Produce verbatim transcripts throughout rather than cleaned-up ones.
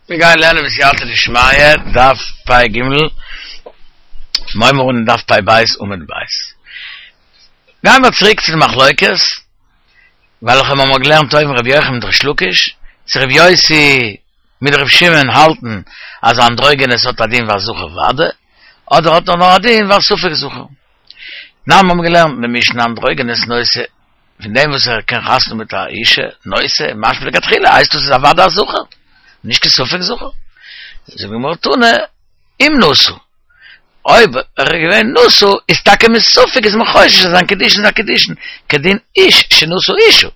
מיר גייען לערנען בסייעתא דשמיא, דף פ"ג, מיר און דף פ"ב עמוד ב'. גייען מיר צוריק צו די מחלוקת, וועלכע מיר האבן געלערנט אויבן רבי יוחנן מיט ריש לקיש, צו רבי יוסי מיט רבי שמעון האלטן אז אנדרוגינוס האט א דין ווי א זכר ודאי, אדער האט ער נאר א דין ווי א ספק זכר. נאר מיר האבן געלערנט אין די משנה אנדרוגינוס נושא פון דעם וואס ער קען חתונה מיט א אישה, נושא, משמע לכתחילה, הייסט דאס איז אוודאי א זכר, נישט קיין ספק זכר. זאגט די גמרא תנא, אם נשא, אויב ער איז געווען נשא, איז טאקע מספק איז מען חושש אז זיין קידושין איז א קידושין כדין איש שנשא אישה,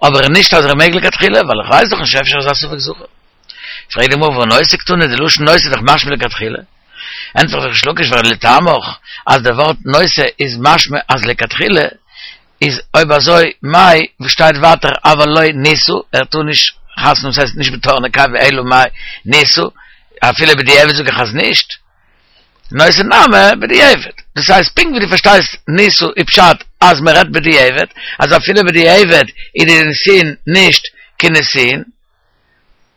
אבער נישט אז ער מעג לכתחילה, ווייל איך ווייס דאך נישט אפשר איז א ספק זכר. פרעגט די גמרא והא נושא קתני, די לשון נושא איז דאך משמע לכתחילה. ענטפערט ריש לקיש ווייל לטעמיך אז די ווארט נושא איז משמע אז לכתחילה, איז אויב אזוי מאי וואס שטייט ווייטער אבל לא נישא, ער טאר נישט חתונה האבן ס'הייסט נישט בתור נקבה אלא מאי נישא, אפילו בדיעבד זאג איך אז נישט, נושא נמי בדיעבד, דאס הייסט פונקט ווי דו פארשטייסט נישא איז פשט אז מען רעדט בדיעבד, אז אפילו בדיעבד איז די נישואין נישט קיין נישואין.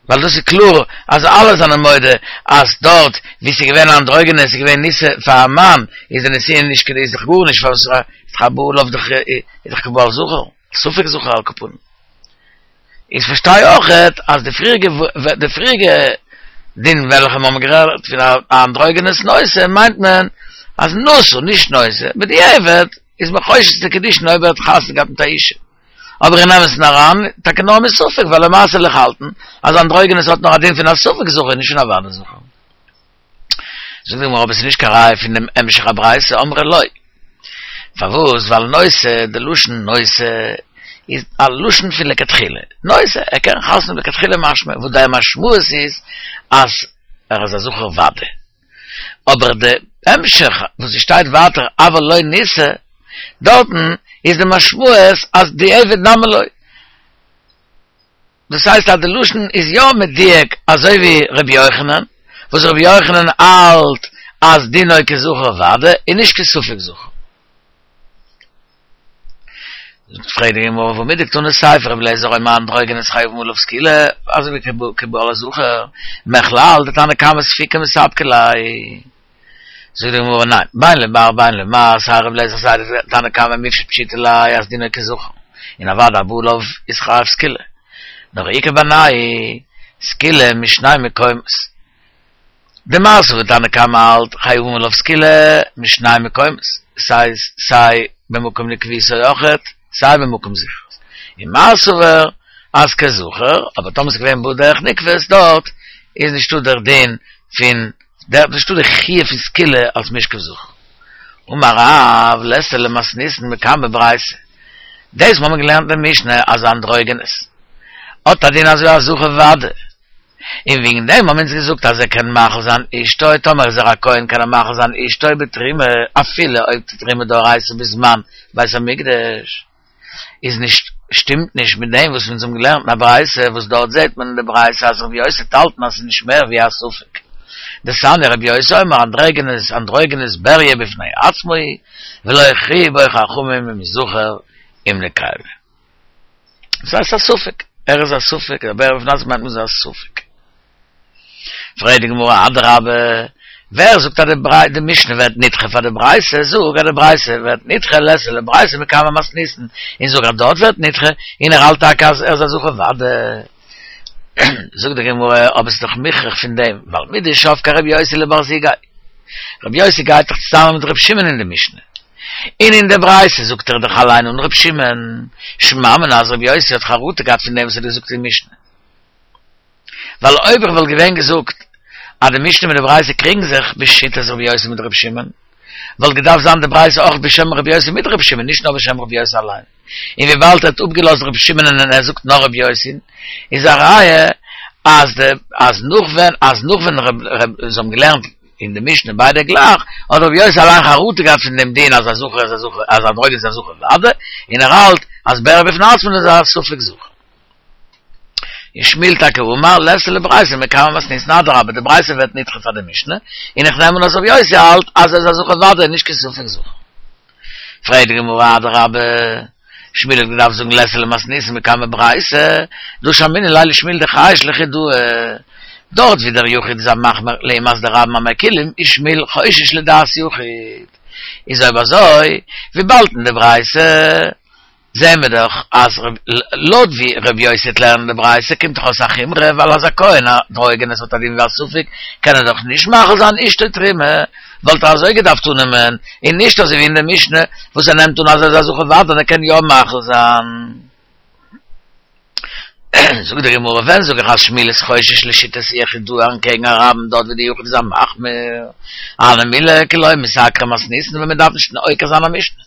ווייל דאס איז קלאר אז אלע זענען מודה אז דארט ווי ס'איז געווען אנדרוגינוס איז געווען נישא פאר א מאן איז די נישואין נישט קיין איז דאך גארנישט פארוואס איז דאך הבא עליו דאך איז דאך כבא על זכר ספק זכר על כל פנים איז פארשטיי אויכעט אז די פריעריגע די פריעריגע דין וועלכע מיר האבן גערעדט פון א אנדרוגינוס נושא מיינט מען אז נשא נישט נושא בדיעבד איז מען חושש צו קידושין אויב ער האט חתונה געהאט מיט א אישה. אבער אין אמת'ן אריין, טאקע נאר מספק, ווייל למעשה וויל איך האלטן אז אנדרוגינוס האט נאר א דין פון א ספק זכר און נישט פון א ודאי זכר. זאגט די גמרא אבער ס'איז נישט קיין ראיה פון דעם המשך הברייתא, אמרי לא. פארוואס? ווייל נושא, די לשון נושא איז א לשון פון לכתחילה. נושא, ער קען חתונה לכתחילה משמע, וואס די משמעות איז אז ער איז א זכר ודאי. אבער די המשך וואס ס'שטייט ווייטער אבל לא נישא, דארטן איז די משמעות אז דיעבד נמי לא. דאס הייסט אז די לשון איז יא מדויק אזוי ווי ר' יוחנן, וואס ר' יוחנן האלט אז דינו כזכר ודאי און נישט כספק זכר. פרעגט די גמרא והא מדקתני סיפא רבי אליעזר אומר אנדרוגינוס חייבין עליו סקילה, אזוי ווי כבא על הזכר, מכלל דתנא קמא ספיקא מספקא ליה. זאגט די גמרא ניין, בין למר בין למר, סיי רבי אליעזר סיי די תנא קמא מיפשט פשיטא ליה אז דינו כזכר, און אוודאי הבא עליו איז חייב סקילה. נאר איכא בינייהו סקילה משני מקומות. דמר סבר תנא קמא האלט חייבין עליו סקילה משני מקומות, סיי סיי במקום נקביותו אויכעט, סיי במקום זכרות. און מר סבר אז כזכר, אבער טאמער ס'איז געווען בא דרך נקבות דארט איז נישטא דער דין פון דער נישטא די חיוב פון סקילה אלס משכב זכר. אמר רב ליתא למתניתין מקמי ברייתא, דאס מ'האמיר געלערנט אין משנה אז אנדרוגינוס האט א דין אזוי א זכר ודאי, און וועגן דעם האבן אונז געזאגט אז ער קען מאכיל זיין אשתו, טאמער איז ער א כהן קען ער מאכיל זיין אשתו בתרומה, אפילו אויב די תרומה דאורייתא בזמן בית המקדש איז נישט, שטימט נישט מיט דעם וואס אונז האבן געלערנט אין א ברייתא, וואס דארט זעט מען אין די ברייתא אז רבי יוסי האט געהאלטן אז ס'איז נישט מער ווי א ספק. דתניא רבי יוסי אומר אנדרוגינוס אנדרוגינוס בריה בפני עצמו ולא הכריעו בו חכמים אם זכר אם נקבה. דאס הייסט א ספק, ער איז א ספק, א בריה בפני עצמו מיינט מען איז א ספק. פרעגט די גמרא אדרבה, ווער זאגט אז די משנה ווערט נדחה פאר די ברייתא, זאג אז די ברייתא ווערט נדחה ליתא לברייתא מקמי מתניתין, און זאג אז דארט ווערט נדחה, און ער האלט טאקע אז ער איז א זכר ודאי. זאגט די גמרא, אבער ס'איז דאך מוכרח פון דעם, ווייל מדשבקה רבי יוסי לבר זוגיה, רבי יוסי גייט דאך צוזאמען מיט רבי שמעון אין די משנה, און אין די ברייתא זאגט ער דאך אליין אן ר' שמעון, שמע מינה אז ר' יוסי האט חרטה געהאט פון דעם וואס ער האט געזאגט אין משנה. ווייל אויב איך וואלט געווען געזאגט אז די משנה מיט די ברייתא קריגן זיך בשיטת ר' יוסי מיט ר' שמעון, וואלט געדארפט זיין די ברייתא אויך בשם ר' יוסי מיט ר' שמעון, נישט נאר בשם ר' יוסי אליין. און וויבאלד ער האט אפגעלאזט ר' שמעון און ער זאגט נאר ר' יוסי'ן, איז א ראיה אז די אז נאך ווען אז נאך ווען ר' זיי האבן געלערנט אין די משנה ביידע גלייך, האט רבי יוסי אליין חרטה געהאט פון דעם דין אז א זכר איז א זכר, אז אנדרוגינוס איז א זכר ודאי, און ער האלט אז בריה בפני עצמו איז א ספק זכר. און שמואל טאקע אמר ליתא לברייתא מקמי מתניתין אדרבה די ברייתא ווערט נדחה פאר די משנה, און איך נעם אן אז רבי יוסי האלט אז ער איז א זכר ודאי נישט קיין ספק זכר. פרעגט די גמרא אדרבה, שמואל האט געדארפט זאגן ליתא למתניתין מקמי ברייתא, דהא שמעינן ליה לשמואל דחייש לחידאה, דארט ווי דער יחיד איז א מחמיר לעומת די רבים המקילים איז שמואל חושש לדעת יחיד. איז אויב אזוי, וויבאלד אין די ברייתא זעהן מיר דאך אז לויט ווי ר' יוסי וועט לערנען די ברייתא קומט דאך אויס א חומרא ווייל אז א כהן אנדרוגינוס האט א דין ווי א ספק קען ער דאך נישט מחיל זיין אשתו תרומה וואלט ער אזוי געדארפט אננעמען און נישט אזוי ווי אין די משנה וואס ער נעמט אן אז ער איז א זכר ודאי און ער קען יא מחיל זיין. זאגט די גמרא ווען זאג איך אז שמואל איז חושש לשיטת יחיד דא אנטקעגן א רבים דארט ווי די יחיד איז א מחמיר הני מילי כי לא מסקרא מתניתין ווען מען דארף נישט עוקר זיין א משנה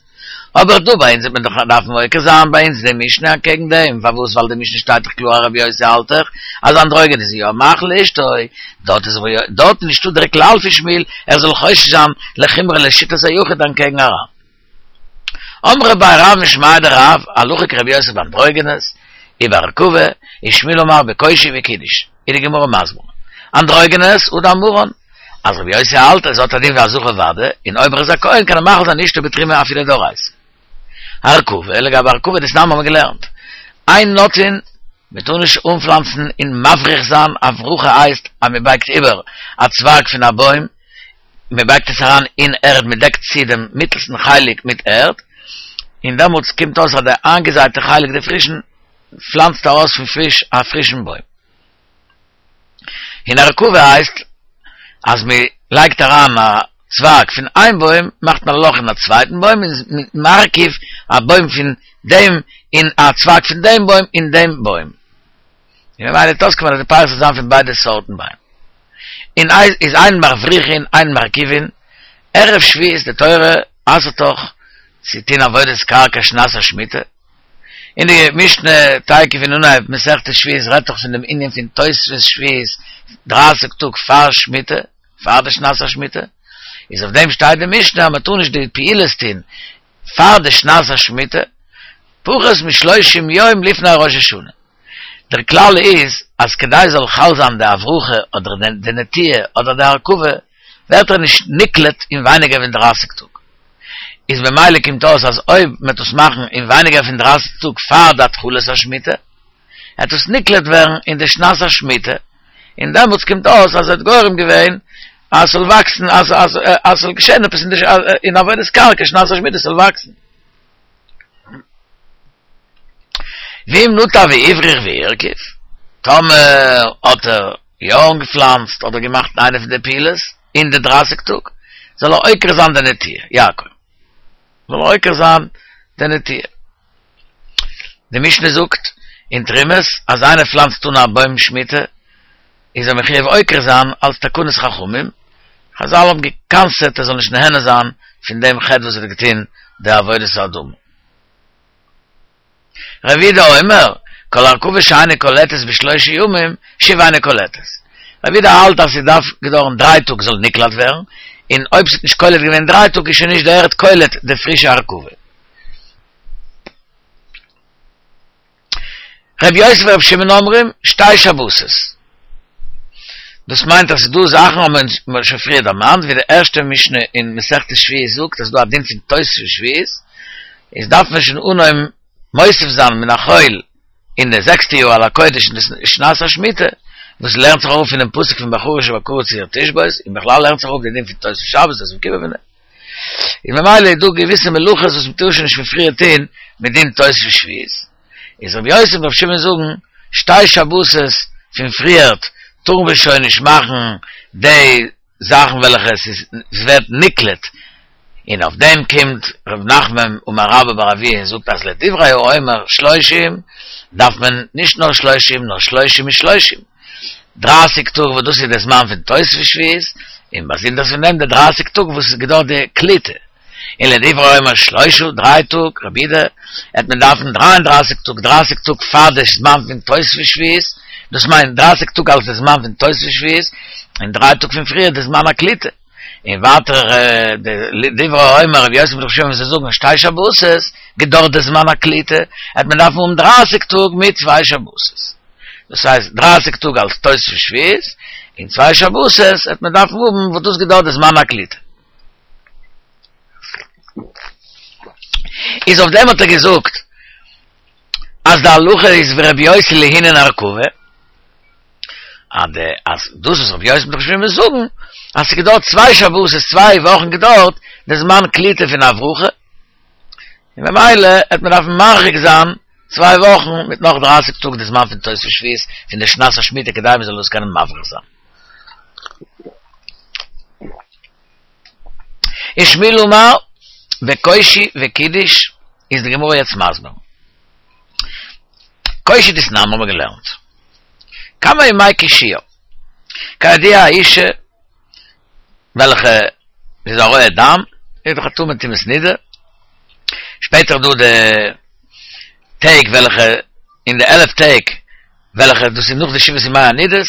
אבער דא ביי אונז וועט מען דאך דארפן עוקר זיין ביי אונז די משנה אנטקעגן דעם פארוואס ווייל די משנה שטייט דאך קלאר אז רבי יוסי האלט דאך אז אנדרוגינוס איז יא מחיל לאשתו דארט איז דארט נישטא דער כלל פון שמואל ער זאל חושש זיין לחומרא לשיטת היחיד אנטקעגן א רבים. אמרי בי רב משמיה דרב, הלכה כרבי יוסי באנדרוגינוס, ובהרכבה, ושמואל אמר בקושי ובקידוש, איז די גמרא מסביר, אנדרוגינוס הוא דאמרן, אז רבי יוסי האלט אז ער האט א דין ווי א זכר ודאי, און אויב ער איז א כהן קען ער מחיל זיין אשתו בתרומה אפילו דאורייתא. הרכבה, לגבי הרכבה דתנן האבן מיר געלערנט, אין נוטעין, מען טאר נישט אנפלאנצן און מבריך זיין, הברחה הייסט אז מען בייגט איבער א צווייג פון א בוים, מען בייגט עס אריין אין ערד, מען דעקט צו דעם מיטלסטן חלק מיט ערד, און דעמאלטס קומט אויס אז די איינגעזייטע חלק די פרישן פלאנצט ארויס פון פריש א פרישן בוים. און הרכבה הייסט אז מען לייגט אריין א צווייג פון איין בוים, מאכט מען א לאך אין א צווייטן בוים, און מ'איז מרכיב א בוים פון דעם און א צווייג פון דעם בוים אין דעם בוים. און ממילא וועט אויסקומען אז די פירות וועט זיין פון ביידע סארטן ביים. און איז אין מבריכין אין מרכיבין, ערב שביעית די תורה אסר'ט דאך צו טון עבודת קרקע שנת השמיטה, און די משנה תיכף אין אנהייב מסכת שביעית רעדט דאך פון דעם ענין פון תוספות שביעית דרייסיג טאג פאר שמיטה, פאר די שנת השמיטה, איז אויף דעם שטייט די משנה אז מען טאר נישט די פעולות טון פאר די שנת השמיטה, פחות משלושים יום לפני ראש השנה. דער כלל איז אז כדי זאל חל זיין די הברחה אדער די נטיעה אדער די הרכבה ווערט ער נישט נקלט אין ווייניגער פון דרייסיג טאג. איז ממילא קומט אויס אז אויב מען וועט עס מאכן אין ווייניגער פון דרייסיג טאג פאר די התחלת השמיטה, וועט עס נקלט ווערן אין די שנת השמיטה, און דעמאלטס קומט אויס אז ער האט גורם געווען אז ס'זאל וואקסן, אז אז ס'זאל געשען עפעס אין די אין עבודת קרקע שנת השמיטה ס'זאל וואקסן. ואם נטע והבריך והרכיב, טאמער האט ער יא אנגעפלאנצט אדער געמאכט איינע פון די פעולות אין די דרייסיג טאג, זאל ער עוקר זיין די נטיעה, יעקב, זאל ער עוקר זיין די נטיעה. די משנה זאגט אין תרומות אז איינער פלאנצט אן א בוים שמיטה איז ער מחויב עוקר זיין אלס תקנת חכמים, חזל האבן גע'קנס'עט ער זאל נישט נהנה זיין פון דעם חטא וואס ער האט געטון די עבודת האדמה. רבי יהודה אומר, כל הרכבה שאינה קולטת בשלושה ימים, שוב אינה קולטת. רבי יהודה האלט אז ס'דארף געדויערן דריי טאג זאל נקלט ווערן, און אויב ס'האט נישט קולט געווען דריי טאג איז שוין נישט די ערד קולט די פרישע הרכבה. רבי יוסי ורבי שמעון אומרים, שתי שבתות. דאס מיינט אז ס'איז דא זאכן האבן מיר שוין פריער דערמאנט, ווי די ערשטע משנה אין מסכת שביעית זאגט אז ס'איז דא א דין פון תוספות שביעית, איז דארף מען שוין אנהויבן מוסיף זיין מן החול אין די זעקסטע יאר על הקודש אין די שנת השמיטה, וואס לערנט זיך אראפ פונעם פסוק פון בחריש ובקציר תשבות, און בכלל לערנט זיך אראפ די דין פון תוספות שבת תוספות יום כיפור פון דעם. און ממילא איז דא געוויסע מלאכות וואס מ'טאר שוין נישט פון פריער טון מדין תוספות שביעית. איז רבי יוסי און רבי שמעון זאגן, שתי שבתות פון פריערט טארן מיר שוין נישט מאכן די זאכן וועלכע עס איז עס ווערט נקלט, און אויף דעם קומט ר' נחמן אמר רבה בר אבוה און זאגט אז לדברי האומר שלושים דארף מען נישט נאר שלושים נאר שלושים ושלושים, דרייסיג טאג וואס דאס איז די זמן פון תוספות שביעית, און באזונדערס פון דעם די דרייסיג טאג וואס עס געדויערט די קליטה, און לדברי האומר שלושה, דריי טאג, רבי יהודה, העט מען דארפן דריי און דרייסיג טאג, דרייסיג טאג פאר די זמן פון תוספות שביעית, דאס מיינט דרייסיג טאג אלס די זמן פון תוספות שביעית, און דריי טאג פון פריער די זמן הקליטה. און ווייטער לדברי האומר רבי יוסי מיט רבי שמעון וואס זיי זאגן שתי שבתות, געדויערט די זמן הקליטה, העט מען דארפן האבן דרייסיג טאג מיט צוויי שבתות. דאס הייסט דרייסיג טאג אלס תוספות שביעית, און צוויי שבתות העט מען דארפן האבן וואס דאס געדויערט די זמן הקליטה. איז אויף דעם האט ער געזאגט אז די הלכה איז ווי רבי יוסי לענין הרכבה, אז דאס וואס רבי יוסי מיט רבי שמעון זאגן, אז ס'געדויערט צוויי שבתות, צוויי וואכן געדויערט, דער זמן קליטה פון הברחה, און במילא העט מען דארפן מרחיק זיין צוויי וואכן מיט נאך דרייסיג טאג די זמן פון תוספת שביעית פון די שנת השמיטה כדי מען זאל דאס קענען מבריך זיין. ושמואל אמר בקושי וקידוש איז די גמרא יעצט מסביר. קושי דתנן האבן מיר געלערנט. כמה ימי קישויה. כידוע א אישה וועלכע איז א רואה דם, איז דאך א טמא טומאת נידה, שפעטער דא די טעג וועלכע אין די עלף טעג וועלכע דאס איז נאך די שבעת ימי הנידות,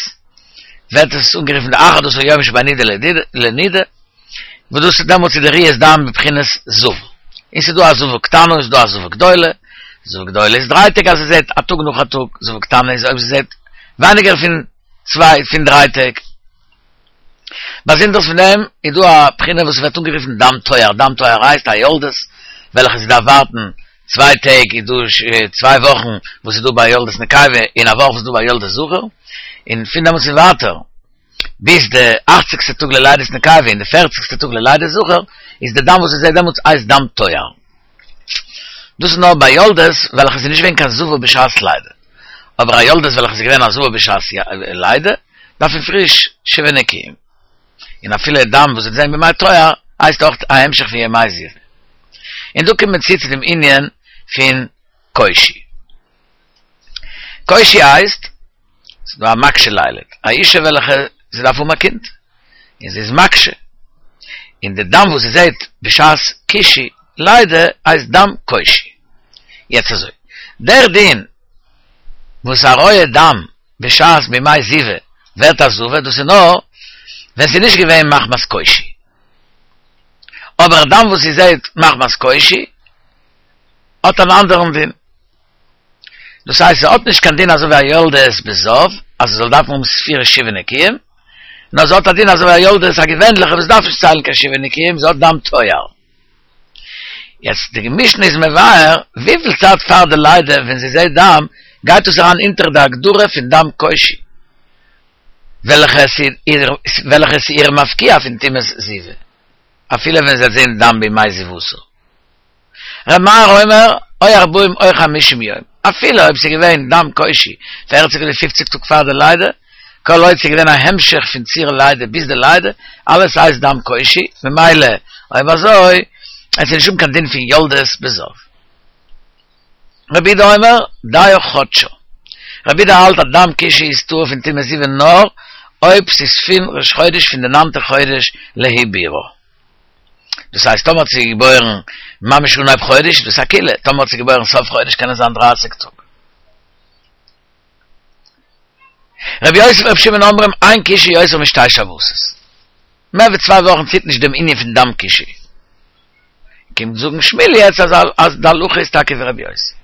ווערט עס אנגערופן די אחד עשר יום שבין נידה לנידה, וואס דאס איז דעמאלטס איז די ראיית דם בבחינת זבה. און ס'איז דא א זבה קטנה און ס'איז דא א זבה גדולה, זבה גדולה איז דריי טעג אז זי זעט א טאג נאך א טאג, זבה קטנה איז אויב זי זעט ווייניגער פון צוויי פון דריי טעג. באזונדערס פון דעם איז דא א בחינה וואס ווערט אנגערופן דם טוהר, דם טוהר הייסט א יולדת וועלכע זי דארף ווארטן צוויי טעג איז דא צוויי וואכן וואס איז דא ביי יולדת נקבה און א וואך וואס איז דא ביי יולדת זכר, און פון דעמאלטס און ווייטער ביז די אכציגסטע טאג ללידת נקבה און די פערציגסטע טאג ללידת זכר איז די דם וואס זי זעט דעמאלטס הייסט דם טוהר. דאס איז נאר ביי יולדת וועלכע איז נישט געווען קיין זבה בשעת לידה, אבער א יולדת וועלכע איז געווען א זבה בשעת לידה דארף מען פריש שבעה נקיים, און אפילו דם וואס זי וועט זען בימי טוהר הייסט אויך א המשך פון ימי זיבה. און דא קומט מען צו צו דעם ענין פון קושי. קושי הייסט, ס'איז דא א מקשה לילד, א אישה וועלכע זי דארף האבן א קינד, און זי איז מקשה, און די דם וואס זי זעט בשעת קישוי לידה הייסט דם קושי. יעצט אזוי, דער דין וואס א רואה דם בשעת בימי זיבה ווערט א זבה, דאס איז נאר ווען ס'איז נישט געווען מחמת קושי. אבער דם וואס זי זעט מחמת קושי האט אן אנדערן דין. דאס הייסט ס'האט נישט קיין דין אזוי ווי א יולדת בזב אז זי זאל דארפן האבן ספירה שבעה נקיים, נאר זי האט א דין אזוי ווי א יולדת א געווענליכע וואס דארף נישט ציילן קיין שבעה נקיים, זי האט דם טוהר. יעצט די משנה איז מבאר וויפיל צייט פאר די לידה ווען זי זעט דם גייט דאס אריין אונטער די הגדרה פון דם קושי וועלכע איז איר מפקיע פון טומאת זיבה אפילו ווען זי וועט זען דם בימי זיבתה. ר' מאיר אומר או ארבעים או חמישים יום, אפילו אויב ס'איז געווען דם קושי פערציג אדער פופציג טאג פאר די לידה, כל עוד ס'איז געווען א המשך פון ציר לידה ביז די לידה, אלעס הייסט דם קושי, ממילא אויב אזוי עס איז נישט האבן קיין דין פון יולדת בזב. רבי יהודה אומר דיה חדשה. רבי יהודה האלט אז דם קישוי איז טהור פון טומאת זיבה נאר אויב ס'איז פון ראש חודש פון די ניינטע חודש לעיבורה. דאס הייסט טאמער האט זי געבוירן ממש אנהייב חודש איז דאס א קולא, טאמער האט זי געבוירן סוף חודש קען עס זיין דרייסיג טאג. רבי יוסי ורבי שמעון אומרים אין קישוי יותר משתי שבתות. מער ווי צוויי וואכן ציט נישט דעם ענין פון דם קישוי. קומט זאגן שמואל יעצט אז אז די הלכה איז טאקע ווי רבי יוסי.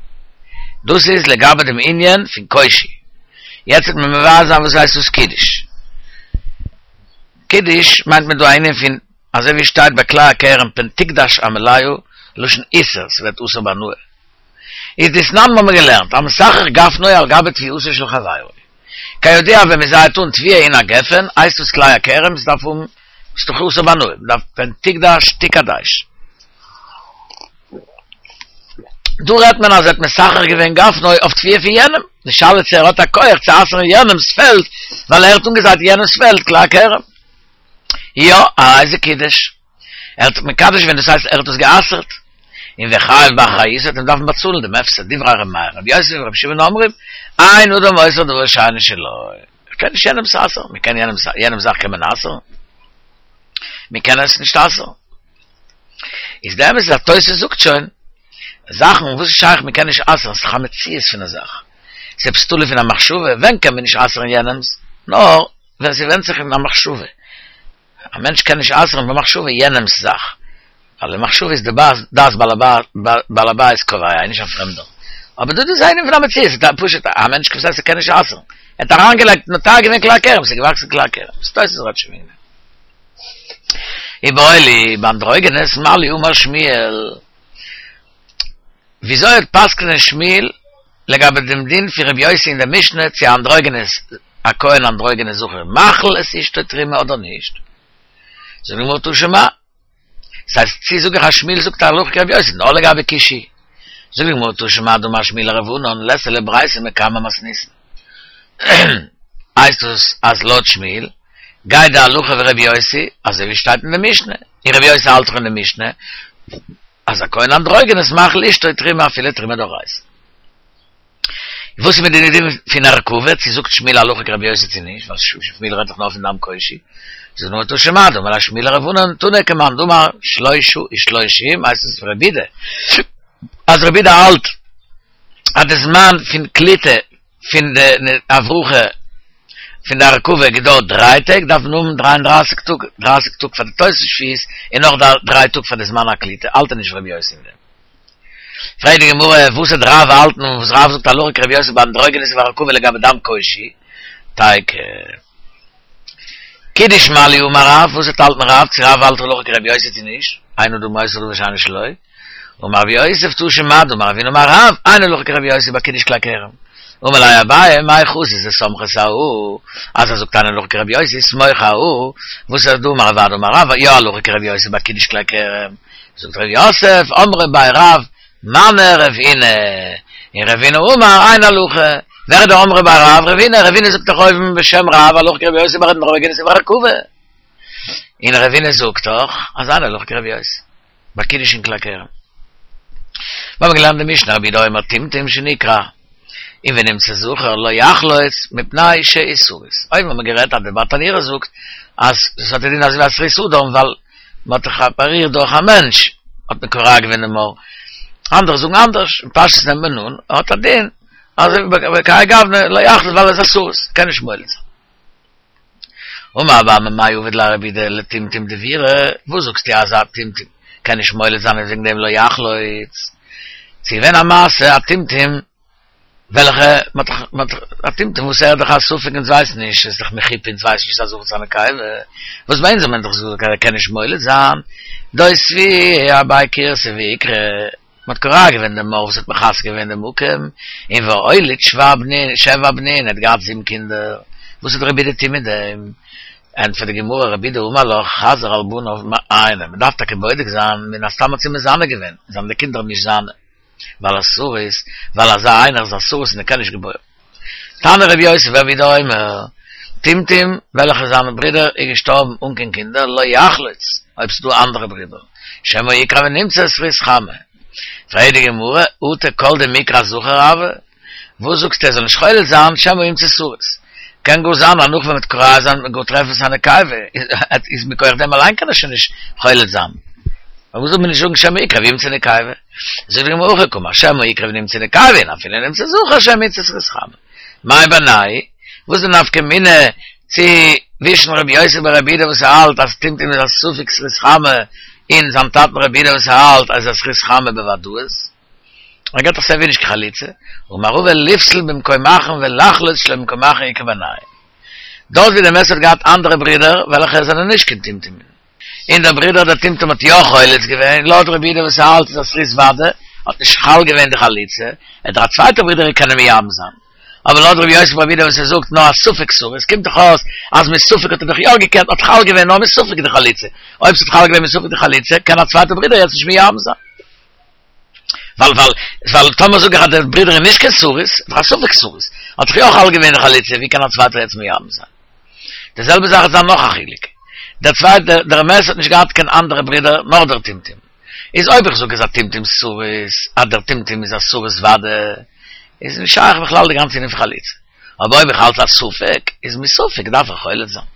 דאס איז לגבי דעם ענין פון קושי. יעצט וועט מען מבאר זיין וואס הייסט דאס קידוש. קידוש מיינט מען דא א ענין פון אזוי ווי שטייט ביי כלאי הכרם פן תקדש המלאה, לשון איסור, ס'ווערט אסור בהנאה. איז דתנן האבן מיר געלערנט, המסכך גפנו על גבי תבואתו של חברו. כידוע ווען מ'זייעט אן תבואה אין א גפן, הייסט דאס כלאי הכרם, ס'דארף האבן, ס'איז דאך אסור בהנאה, מ'דארף פן תקדש תקדש. דא רעדט מען אז ער האט מסכך געווען גפנו אויף תבואה פון יענעם, די שאלה צו ער האט א כח צו אסר'ן יענעמ'ס פעלד ווייל ער האט אנגעזייט יענעמ'ס פעלד כלאי הכרם. יא, הרי זה קידש. ער האט מקדש געווען, דאס הייסט ער האט עס גע'אסר'ט. און וחייב באחריותו וועט מען דארפן באצאלן דעם הפסד, דברי ר' מאיר, רבי יוסי ורבי שמעון אומרים, אין אדם אוסר דבר שאינו שלו. איך קען נישט יענעמ'ס אסר'ן, מען קען יענעמ'ס, יענעמ'ס זאך קען מען אסר'ן? מען קען עס נישט אסר'ן. איז די אמת איז אז תוס' זאגט שוין, זאכן וואס איז שייך מען קען נישט אסר'ן, ס'איז דאך א מציאות פון א זאך. ס'איז עפעס תלוי פון א מחשבה, ווען קען מען נישט אסר'ן יענעמ'ס? נאר ווען ס'ווענדט זיך אין א מחשבה. א מענטש קען נישט אסר'ן במחשבה יענעמ'ס זאך, ווייל די מחשבה איז די דעת בעל הבית קובע, נישט א פרעמדער. אבער דא איז ענין פון א מציאות, ס'איז פשוט א מענטש וואס הייסט ער קען נישט אסר'ן. ער האט אריינגעלייגט נוטע געווען כלאי הכרם, ס'איז געוואקסן כלאי הכרם. תוס' רעדט שוין וועגן דעם. איבעיא להו באנדרוגינוס מה לי אמר שמואל, וויאזוי האט פסק'נען שמואל לגבי דעם דין פון רבי יוסי אין דער משנה צו אנדרוגינוס א כהן אנדרוגינוס זכר מאכיל את אשתו תרומה אדער נישט? זאגט די גמרא תא שמע. ס'הייסט צי זאג איך אז שמואל זאגט הלכה כרבי יוסי נאר לגבי כושי? זאגט די גמרא תא שמע דאמר שמואל לרב ענן ליתא לברייתא מקמי מתניתין. הייסט דאס אז לויט שמואל גייט די הלכה ווי רבי יוסי אזוי ווי שטייט אין די משנה, און רבי יוסי האלט דאך אין די משנה אז א כהן אנדרוגינוס מאכיל אשתו תרומה אפילו תרומה דאורייתא. וואס איז מיט די דין פון הרכבה, צו זאגט שמואל הלכה כרבי יוסי צו נישט, ווייל שמואל רעדט דאך נאר פון דם כושי, זאגט די גמרא תא שמע דאמר ליה שמואל לרב ענן תנא כמאן דאמר שלשה ושלושים הייסט עס רבי יהודה אז רבי יהודה האלט אז די זמן פון קליטה פון די הברחה פון די הרכבה געדויערט דריי טעג דארף מען האבן דריי און דרייסיג טאג, דרייסיג טאג פאר די תוספת שביעית און נאך דריי טאג פאר די זמן הקליטה, האלט ער נישט ווי רבי יוסי אין דעם. פרעגט די גמרא, וואס וועט רב האלטן וואס רב זאגט הלכה כרבי יוסי ביי אנדרוגינוס והרכבה לגבי דם כושי? תיקו. קידוש מה לי אמר רב, וואס וועט האלטן רב, צו רב האלט הלכה כרבי יוסי צו נישט? אין אדם מוסר דבר שאינו שלו. אמר רב יוסף תא שמע דאמר רב הונא אמר רב, אין הלכה כרבי יוסי ביי קידוש כלי כרם. אמר ליה אביי, מאי חזית דסמכת אהא, אז ער זאגט אין הלכה כרבי יוסי, סמוך אהא, וואס איז דאמר רב אדא אמר רב, יא הלכה כרבי יוסי ביי קידוש כלי כרם. זאגט רב יוסף, אמרי בי רב, מני רב הונא, און רב הונא אמר, אין הלכה. ווער איז דער אמרי בי רב? רב הונא, רב הונא זאגט דאך אויבן בשם רב, הלכה כרבי יוסי ביי אנדרוגינוס והרכבה. און רב הונא זאגט דאך, אז אין הלכה כרבי יוסי. ביי קידוש אין כלי כרם. מיר האבן געלערנט די משנה רבי יהודה אומר טומטום שנקרע און ונמצא זכר לא יחלוץ מפני שהוא סריס. אויבן האט מען גערעדט אז די ברטנורא זאגט אז עס האט א דין אזוי ווי א סריס אדם ווייל מען האט דאך אפערירט דורך א מענטש האט מען קורע געווען דעם עור. אנדערע זאגן אנדערש, אין פשטות נעמט מען אן ער האט א דין אזוי ווי בכהאי גוונא לא יחלוץ ווייל ער איז א סריס קען נישט מוליד זיין. אמר רב אמי מאי עביד ליה רבי יהודה לטומטום דבירא, וואס זאגסטו אז א טומטום קען נישט מוליד זיין און וועגן דעם לא יחלוץ? ס'איז געווען א מעשה א טומטום וועלכע מ'האט דאך מ'האט דאך א טומטום וואס ער איז דאך א ספק אונז ווייסן נישט עס איז דאך מחופה אונז ווייסן נישט ס'איז א זכר צו א נקבה וואס ביי אונז האט מען דאך געזאגט אז ער קען נישט מוליד זיין דאותביה אבי כורסא ואיקרעה מ'האט קורע געווען דעם עור וואס האט מכסה געווען דעם מקום, און ואוליד שבע בנין, שבע בנין, ער האט געהאט זיבן קינדער, וואס האט רבי יהודה טון מיט דעם? ענטפערט די גמרא, רבי יהודה אמר לך, חזר על בניו מעייני, מ'דארף טאקע בודק זיין, מן הסתם האט זי מזנה געווען, זענען די קינדער נישט זיינע, ווייל א סריס, ווייל אזא איינער איז א סריס און ער קען נישט געבוירן. תנא רבי יוסי ורבי יהודה אומר, טומטום, וועלכע זיין ברודער איז געשטארבן אן קיין קינדער, לא יחלוץ, אויב ס'איז דא אנדערע ברידער, שמא יקרע ונמצא סריס חמה. פרעגט די גמרא, אטו כל דמיקרע זכר הוי? וואס זאגסטו ער זאל נישט חולץ זיין, שמא ימצא סריס? קען גאר זיין אז נאך ווען מ'וועט קורע זיין וועט מען גאר טרעפן ס'איז א נקבה, איז מכח דעם אליין קען ער שוין נישט חולץ זיין. פארוואס זאל מען נישט זאגן שמא יקרע וימצא נקבה? זאגט די גמרא הכי קאמר, שמא יקרע ונמצא נקבה, און אפילו נמצא זכר שמא ימצא סריס חמה. מאי בינייהו? וואס איז די נפקא מינה צווישן רבי יוסי ברבי יהודה וואס האלט אז טומטום איז א ספק סריס חמה און זיין טאטן רבי יהודה וואס האלט אז איז א סריס חמה בוודאות? ער געט דאך סייווי נישט קיין חליצה, אמר רבא לפסול במקום אחרון ולחלוץ שלא במקום אחרון איכא בינייהו. דארט ווי דער מת האט געהאט אנדערע ברידער וועלכע זענען נישט קיין טומטומים, און דער ברודער דער טומטום האט יא חולץ געווען, לויט רבי יהודה וואס האלט איז א סריס ודאי, האט נישט חל געווען די חליצה, וועט דער א צווייטער ברודער קענען מייבם זיין. אבער לויט רבי יוסי ברבי יהודה וואס ער זאגט נאר א ספק סריס, קומט דאך אויס אז מספק האט ער דאך יא געקענט, האט חל געווען נאר מספק די חליצה, אויב ס'האט חל געווען מספק די חליצה, קען א צווייטער ברודער יעצט נישט מייבם זיין. ווייל ווייל ווייל טאמער זאג איך אז דער ברודער איז נישט קיין סריס, איז דאך א ספק סריס, האט דאך יא חל געווען די חליצה, ווי קען א צווייטער יעצט מייבם זיין? די זעלבע זאך איז דא נאך א חילוק, דער צווייטער דער מת האט נישט געהאט קיין אנדערע ברודער נאר דער טומטום, איז אויב איך זאג אז א טומטום סריס, אז דער טומטום איז א סריס ודאי, איז נישט שייך בכלל די גאנצע ענין פון חליצה, אבער אויב איך האלט א ספק, איז מספק דארף איך חולץ זיין.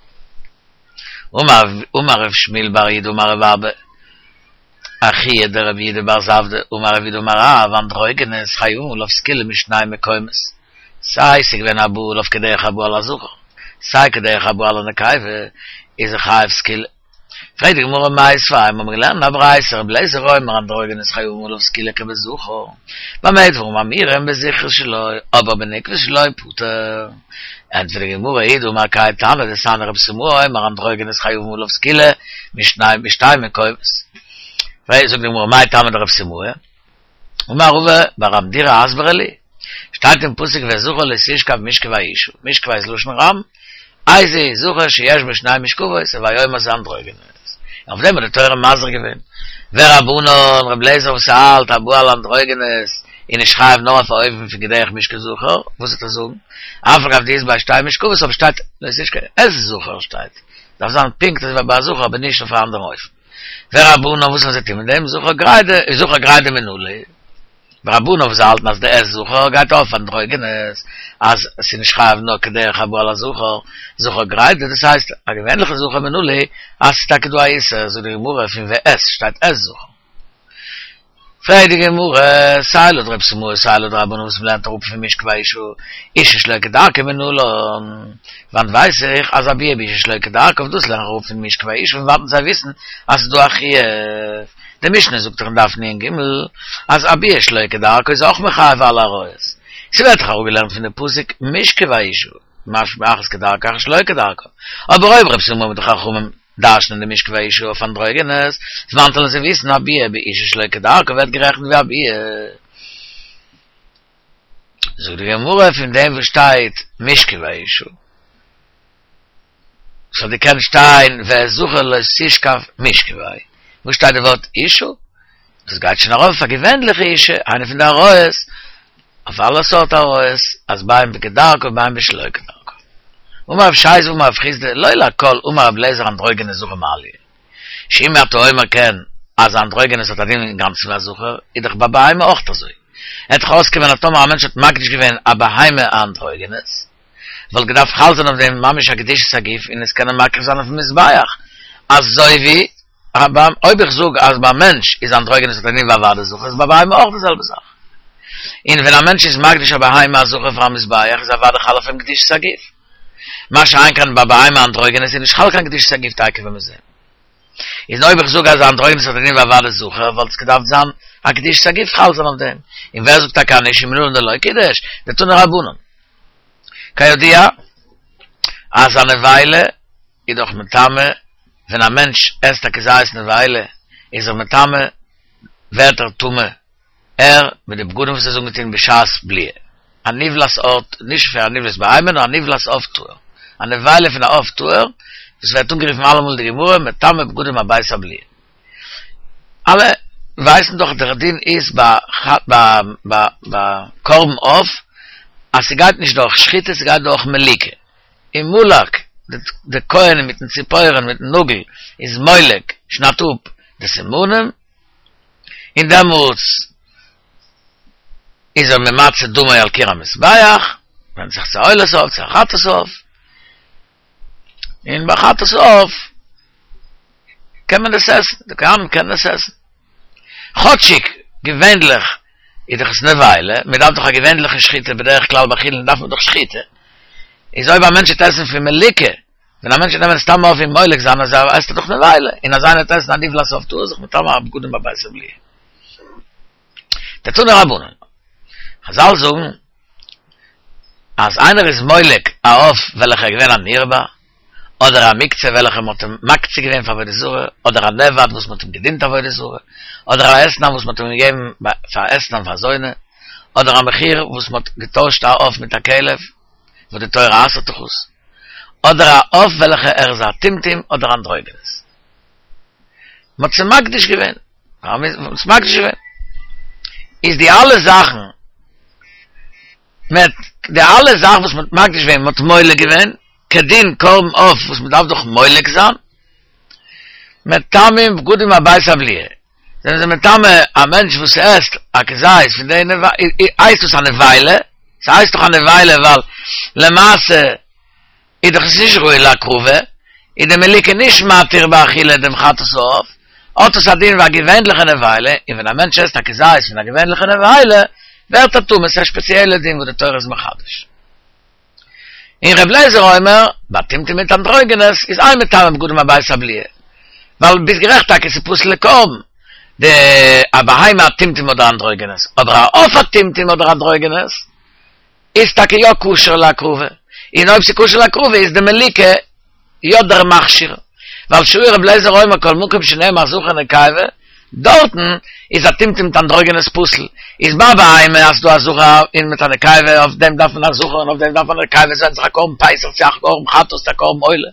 אמר רב שמואל בר יהודה אמר רב אבא, אחוה דרב יהודה בר זבדא, אמר רב יהודה אמר רב, אנדרוגינוס חייבין עליו סקילה משני מקומות, סיי ס'איז געווען א בא עליו כדרך הבא על הזכר, סיי כדרך הבא על הנקבה, איז ער חייב סקילה. פרעגט די גמרא מיתיבי, מיר האבן געלערנט א ברייתא, רבי אליעזר אומר אנדרוגינוס חייבין עליו סקילה כבזכר, במה דברים אמורים בזכרות שלו, אבער בנקבות שלו פטור. ענטפערט די גמרא, הוא דאמר כהאי תנא דתניא רבי סימאי אומר אנדרוגינוס חייבין עליו סקילה משני משתי מקומות. זאגט די גמרא, מאי טעמא דרבי סימאי? אמר רבא בר המדירא הסברה לי, שטייט אין פסוק ואת זכר לא תשכב משכבי אשה. משכבי איז לשון רבים. איזהו זכר שיש בו שני משכבות, הוי אומר זה אנדרוגינוס. אויף דעם האט די תורה מזהיר געווען. ורבנן, רב לעזער וואס האלט הבא על אנדרוגינוס, איז נישט חייב נאר אויף א אופן פון כדרך משכב זכר, וואס וועט ער זאגן? אף על גב דאית ביה שתי משכבות, אבער שטייט לא תשכב את זכר שטייט. דארף זיין פונקט אזוי ווי ביי א זכר אבער נישט אויף א אנדערן אופן. ורבנן וואס וועלן זיי טון מיט דעם זכר גרידא, זכר גרידא מנא ליה. ורבנן וואס האלטן אז די את זכר גייט אויף אנדרוגינוס, אז עס איז נישט חייב נאר כדרך הבא על הזכר, זכר גרידא, דאס הייסט א געווענליכע זכר מנא ליה, אז ס'איז טאקע דא א איסור, זאגט די גמרא פון ואת שטייט את זכר. פרעגט די גמרא, סיי לויט רב סימאי סיי לויט רבנן וואס מ'לערנט אראפ פון משכבי אשה, אשה שלא כדרכה מנלן, וואנעט ווייס איך אז א ביאה באשה שלא כדרכה אויף דאס לערן איך אראפ פון משכבי אשה פון וואנעט זיי וויסן אז ס'איז דא א חיוב. די משנה זאגט דאך אין דף נ"ג אז א ביאה שלא כדרכה איז אויך מחייב אלע עריות. ס'ווערט דאך אראפגעלערנט פון די פסוק משכבי אשה, משמע אחת כדרכה אחת שלא כדרכה. אבער אויב רב סימאי מיט די חכמים דרש'נען די משכבי אשה אויף אנדרוגינוס, וואנעט וועלן זיי וויסן א ביאה באשה שלא כדרכה ווערט גערעכנט ווי א ביאה. זאגט די גמרא פון דעם וואס שטייט משכבי אשה, ס'האט געקענט שטיין ואת זכר לא תשכב משכבי, וואס שטייט די ווארט אשה? דאס גייט שוין ארויף אויף א געווענליכע אשה, איינע פון די עריות, אויף אלע סארט עריות, אז בין בכדרכה ובין בשלא כדרכה. אמר רב ששת אמר רב חסדא, לא לכל אמר רב לעזער אנדרוגינוס זכר מעליא. שאם אתה אומר כן, אז אנדרוגינוס האט א דין אינגאנצן ווי א זכר, איז דאך ביי בהמה אויך אזוי. וועט דאך אויסקומען אז טאמער א מענטש האט מקדיש געווען א בהמה א אנדרוגינוס, וואלט געדארפט חל זיין אויף דעם ממש א קדושת הגוף און עס קענען מקריב זיין אויפן מזבח, אזוי ווי אויב איך זאג אז ביי מענטש איז אנדרוגינוס האט א דין ווי א ודאי זכר איז ביי בהמה אויך די זעלבע זאך. און ווען א מענטש איז מקדיש א בהמה א זכר פאר א מזבח איז אוודאי חל אויף אים קדושת הגוף. מה שאין כן ביי בהמה אנדרוגינוס איז נישט חל קיין קדושת הגוף תיכף ווען מיר זעהן. איז אויב איך זאג אז אנדרוגינוס האט א דין ווי א ודאי זכר וואלט עס געדארפט זיין א קדושת הגוף חל זיין אויף דעם. און ווער זאגט טאקע אז נישט ומנלן דלא קידש? דתנו רבנן. כידוע אז א נבילה איז דאך מטמא, ווען א מענטש עסט א כזית נבילה איז ער מטמא, ווערט ער טמא, ער מיט די בגדים וואס ער איז אנגעטון בשעת בליעה, א נבלת עוף, נישט פון א נבלת בהמה נאר א נבלת עוף טהור, א נבילה פון א עוף טהור, וואס ווערט אנגערופן אלעמאל אין די גמרא מטמא בגדים עד בית הבליעה. אלע ווייסן דאך דער דין איז ביי ביי ביי קרבן עוף אז ס'גייט נישט דורך שחיטה ס'גייט דורך מליקה, און מלק די כהן מיטן ציפורן מיטן נאגל איז מולק שניידט אפ די סימנים, און דעמאלטס איז ער ממצה דמו על קיר המזבח, ווענדט זיך צו א עולת עוף צו א חטאת עוף, און ביי חטאת עוף קען מען דאס עסן, די כהנים קענען עס עסן. כאטשיג געווענליך איז דאך עס נבילה, מען דארף דאך א געווענליכע שחיטה, בדרך כלל ביי חולין דארף מען דאך שחיטה, איז אויב א מענטש וועט עסן פון מליקה, ווען א מענטש וועט נעמען סתם עוף און מולק זיין אז ער עסט דאך נבילה, און אז איינער וועט עסן א נבלת עוף טהור איז זיך מטמא הבגדים עד בית הבליעה. דתנו רבנן. חזל זאגן אז איינער איז מולק א עוף וועלכער איז געווען א נרבע, אדער א מוקצה וועלכע מ'האט אים מקצה געווען פאר עבודה זרה, אדער א נאבד וואס מ'האט אים געדינט עבודה זרה, אדער א אתנן וואס מ'האט אים געגעבן פאר אתנן פאר זונה, אדער א מחיר וואס מ'האט געטוישט א עוף מיט א כלב, וואס די תורה אסר'ט דאך עס, אדער א עוף וועלכע ער איז א טומטום אדער אנדרוגינוס. מ'האט עס מקדיש געווען, מ'האט עס מקדיש געווען. איז די אלע זאכן, מיט די אלע זאכן וואס מ'האט מקדיש געווען, מ'האט מולק געווען, כדין קרבן עוף וואס מ'דארף דאך מולק זיין, מטמאים בגדים עד בית הבליעה, זענען זיי מטמא א מענטש וואס עסט א כזית פון די נבילה, הייסט דאס א נבילה? ס'הייסט דאך א נבילה ווייל למעשה איז דאך עס נישט ראוי להקרבה, איז די מליקה נישט מתיר באכילה דעם חטאת העוף, האט עס א דין ווי א געווענליכע נבילה, און ווען א מענטש עסט א כזית פון א געווענליכע נבילה, ווערט ער טמא, ס'איז א שפעציעלע דין וואס די תורה איז מחדש. און ר' אליעזר אומר, ביי טומטום מיט אנדרוגינוס איז אין מטמאין בגדים עד בית הבליעה, ווייל ביסט גערעכט טאקע ס'איז פסול לקרבן, די א בהמה א טומטום אדער אנדרוגינוס, אבער א עוף א טומטום אדער אנדרוגינוס איז טאקע יא כשר להקרבה, און אויב ס'איז כשר להקרבה איז די מליקה יא דער מכשיר, ווייל שהיה ר' אליעזר אומר כל מקום שנאמר זכר נקבה, דארטן איז א טומטום מיט אנדרוגינוס פסול. איז ביי בהמה אז דא א זכר און מיט א נקבה, אויף דעם דארף מען א זכר און אויף דעם דארף מען א נקבה, עס ווענדט זיך א קרבן פסח צו א קרבן חטאת צו א קרבן עולה.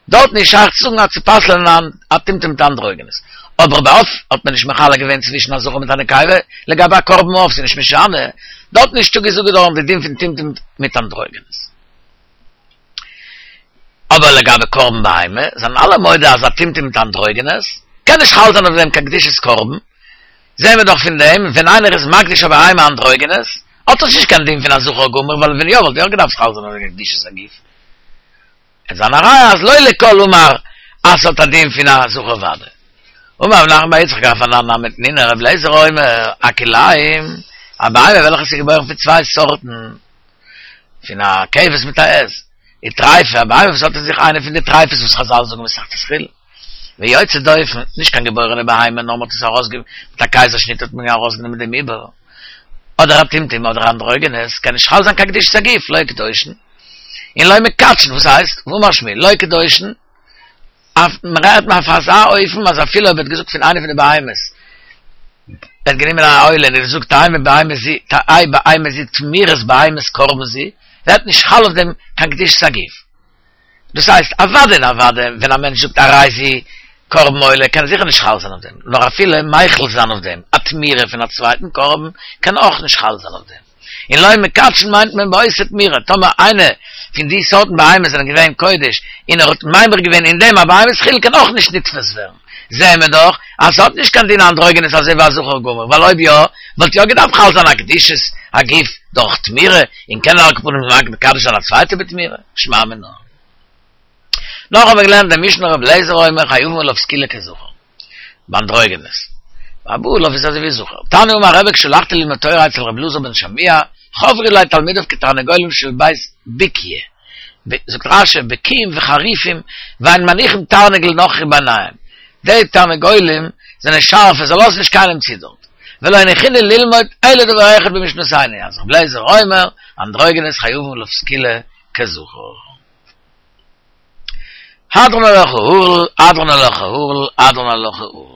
דארטן איז שייך צו זאגן אז צו פסל'ען א טומטום מיט אנדרוגינוס. אבער ביי עוף האט מען נישט מחלק געווען צווישן א זכר מיט א נקבה, לגבי א קרבן עוף ס'איז נישט משנה, דארטן איז נישטא געזאגט געווארן די דין פון טומטום מיט אנדרוגינוס. אבער לגבי קרבן בהמה, זענען אלע מודה אז א טומטום מיט אנדרוגינוס קען נישט חל זיין אויף דעם קיין קדושת קרבן, זעהן מיר דאך פון דעם, ווען איינער איז מקדיש א בהמה אנדרוגינוס, האט עס נישט קיין דין פון א זכר גמור, ווייל ווען יא וואלט יא געדארפט חל זיין אויף דעם קדושת הגוף. עס זיין א ראיה אז לא לכל אמר אז ס'האט א דין פון א זכר ודאי. אמר רב נחמן בר יצחק אף אנן נמי תנינא רבי אליעזר אומר, הכלאים, א בהמה וועלכע איז געבוירן פון צוויי סארטן, פון א כבש מיט א עז, וטריפה, א בהמה וואס האט אין זיך איינע פון די טריפות וואס חזל זאגן מסכת חולין, ויוצא דופן, נישט קיין געבוירענע בהמה נאר מ'האט עס ארויסגע מיט א קייזער שניט האט מען ארויסגענומען דעם עובר, אדער א טומטום אדער אנדרוגינוס, קען נישט חל זיין קיין קדושת הגוף, לא קדושין, און לא מקדשין, וואס הייסט? ואמר שמואל, לא קדושין, אויף מ'רעדט אויף אזא אופן אז אפילו אויב ער האט געזאגט פון איינע פון די בהמות, ער האט גענומען א עולה און ער האט געזאגט תהא בהמה זו תהא בהמה זו תמורת בהמת קרבן זו, ווערט נישט חל אויף דעם קיין קדושת הגוף. דאס הייסט, אוודאי און אוודאי ווען א מענטש זאגט הרי זו קרבן עולה קען זיכער נישט חל זיין אויף דעם, נאר אפילו מחיל זיין אויף דעם א תמורה פון א צווייטן קרבן קען אויך נישט חל זיין אויף דעם. און לא מקדשין מיינט מען באותה תמורה, טאמער איינע פון די סארטן בהמות זענען געווען קודש און ער האט ממיר געווען אין דעם א בהמת חולין קען אויך נישט נתפס ווערן, זעהן מיר דאך אז ס'האט נישט קיין דין אנדרוגינוס אזוי ווי א זכר גמור, ווייל אויב יא וואלט יא געדארפט חל זיין א קדושת הגוף דורך תמורה, און קענען על כל פנים מקדש זיין א צווייטע בתמורה, שמע מינה. נאך האבן מיר געלערנט די משנה רבי אליעזר אומר חייבין עליו סקילה כזכר. באנדרוגינוס. והבא עליו איז אזוי ווי זכר. תניא אמר רבי כשהלכתי ללמוד תורה אצל רבי אלעזר בן שמוע, חברו אלי תלמידיו כתרנגולים של בית בוקיא. זאגט רש"י, בקיאים וחריפים, ואין מניחים תרנגול נכרי ביניהם. די תרנגולים זענען שארפע, זיי לאזן נישט קיינעם צו דארט. ולא הניחוני ללמוד אלא דבר אחד במשנתנו, אז רבי אליעזר אומר, אנדרוגינוס חייבין עליו סקילה כזכר. הדרן עלך הערל, הדרן עלך הערל, הדרן עלך הערל.